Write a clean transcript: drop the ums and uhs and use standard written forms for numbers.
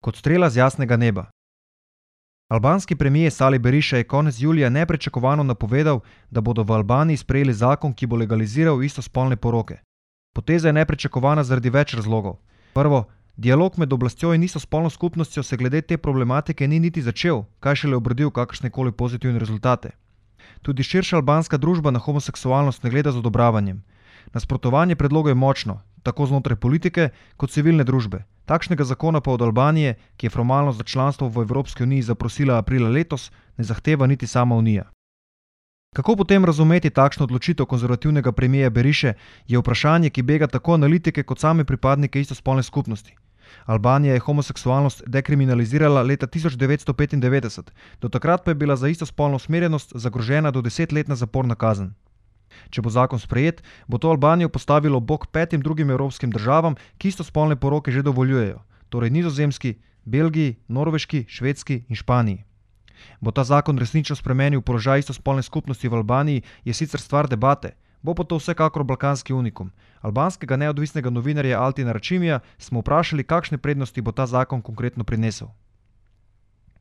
Kot strela z jasnega neba. Albanski premijer Sali Berisha je konec julija nepričakovano napovedal, da bodo v Albaniji sprejeli zakon, ki bo legaliziral istospolne poroke. Poteza je nepričakovana zaradi več razlogov. Prvo, dialog med oblastjo in istospolno skupnostjo se glede te problematike ni niti začel, kaj šele obrodil kakršnekoli pozitivne rezultate. Tudi širša albanska družba na homoseksualnost ne gleda z odobravanjem. Nasprotovanje predlogu je močno, tako znotraj politike kot civilne družbe. Takšnega zakona pa od Albanije, ki je formalno za članstvo v Evropski uniji zaprosila aprila letos, ne zahteva niti sama Unija. Kako potem razumeti takšno odločitev konzervativnega premijerja Berishe, je vprašanje, ki bega tako analitike kot same pripadnike istospolne skupnosti. Albanija je homoseksualnost dekriminalizirala leta 1995, do takrat pa je bila za istospolno usmerjenost zagrožena do 10-letna zaporna kazen. Če bo zakon sprejet, bo to Albanijo postavilo ob bok 5 drugim evropskim državam, ki istospolne poroke že dovoljujejo, torej Nizozemski, Belgiji, Norveški, Švedski in Španiji. Bo ta zakon resnično spremenil položaj istospolne skupnosti v Albaniji, je sicer stvar debate, bo pa to vsekakor balkanski unikum. Albanskega neodvisnega novinarja Altina Račimija smo vprašali, kakšne prednosti bo ta zakon konkretno prinesel.